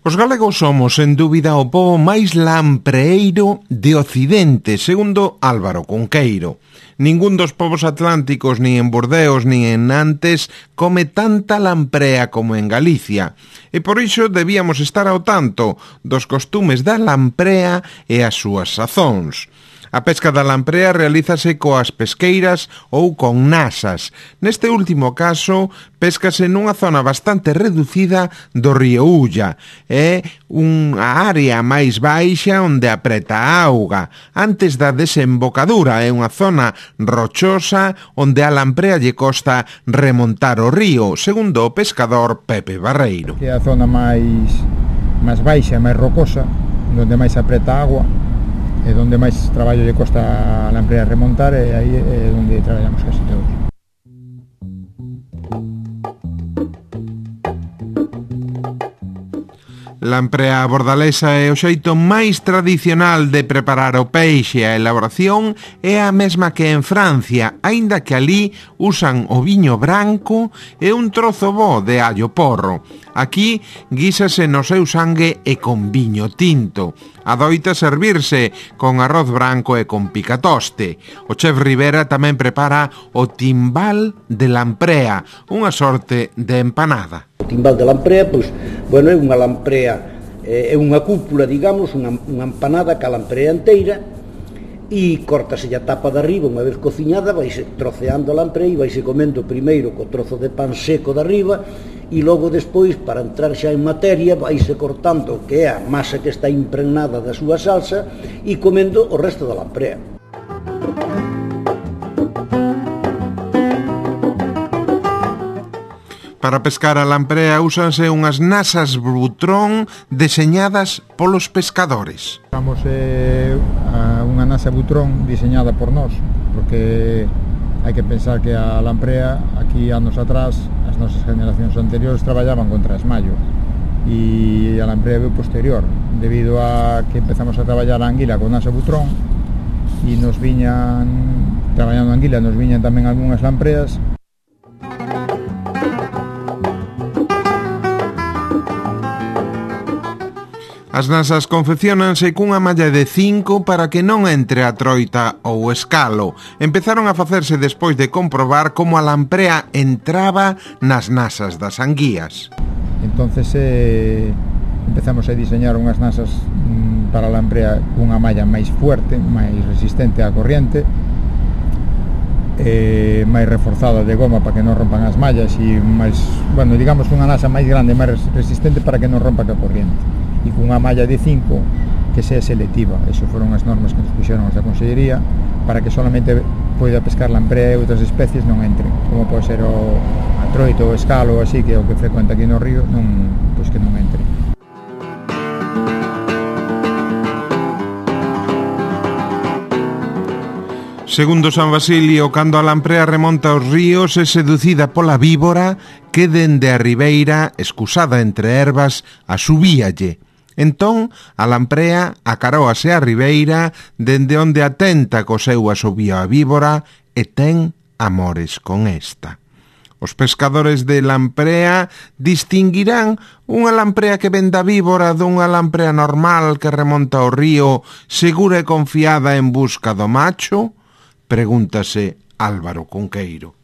Os galegos somos, sen dúbida, o pobo máis lampreeiro de Occidente, segundo Álvaro Cunqueiro. Ningún dos povos atlánticos, nin en Bordeos, nin en Nantes, come tanta lamprea como en Galicia. E por iso debíamos estar ao tanto dos costumes da lamprea e as súas sazóns. A pesca da lamprea realízase coas pesqueiras ou con nasas. Neste último caso, péscase nunha zona bastante reducida do río Ulla. É unha área máis baixa onde apreta a auga. Antes da desembocadura é unha zona rochosa onde a lamprea lle costa remontar o río, segundo o pescador Pepe Barreiro. É a zona máis baixa, máis rocosa, onde máis apreta a agua. É onde máis traballo lle costa a lamprea remontar e aí é onde traballamos casi todos. Lamprea bordalesa é o xeito máis tradicional de preparar o peixe. A elaboración é a mesma que en Francia, aínda que alí usan o viño branco e un trozo bo de allo porro. Aquí guísase no seu sangue e con viño tinto. Adoita servirse con arroz branco e con picatoste. O chef Rivera tamén prepara o timbal de lamprea, unha sorte de empanada. O timbal de lamprea, pois, bueno, é unha lamprea, é unha cúpula, digamos, unha empanada ca lamprea inteira, e córtase a tapa de arriba, unha vez cociñada, vaise troceando a lamprea e vaise comendo primeiro co trozo de pan seco de arriba, e logo despois, para entrar xa en materia, vaise cortando o que é a masa que está impregnada da súa salsa e comendo o resto da lamprea. Para pescar a lamprea úsanse unhas nasas butrón deseñadas polos pescadores. Usamos unha nasa butrón diseñada por nós, porque hai que pensar que a lamprea, aquí anos atrás, as nosas generacións anteriores traballaban contra esmallo, e a lamprea veu posterior, debido a que empezamos a traballar a anguila con nasa butrón, e nos viñan, traballando a anguila, nos viñan tamén algunhas lampreas. As nasas confecciónanse cunha malla de 5 para que non entre a troita ou escalo. Empezaron a facerse despois de comprobar como a lamprea entraba nas nasas das anguías. Entonces empezamos a diseñar unhas nasas para a lamprea cunha malla máis fuerte, máis resistente á corriente, máis reforzada de goma para que non rompan as mallas e máis, bueno, digamos unha nasa máis grande, máis resistente para que non rompa a corriente, e cunha malla de 5 que sea selectiva. Eso foron as normas que nos puxeron da Consellería para que solamente poida pescar lamprea e outras especies non entren, como pode ser a troito ou escalo ou así, que é o que frecuenta aquí no río, pois que non entre. Segundo San Basilio, cando a lamprea remonta os ríos é seducida pola víbora que dende a ribeira, escusada entre ervas, asubíalle. Entón, a lamprea acaróase a ribeira dende onde atenta co seu asubío a víbora e ten amores con esta. Os pescadores de lamprea distinguirán unha lamprea que ven da víbora dunha lamprea normal que remonta o río segura e confiada en busca do macho? Pregúntase Álvaro Cunqueiro.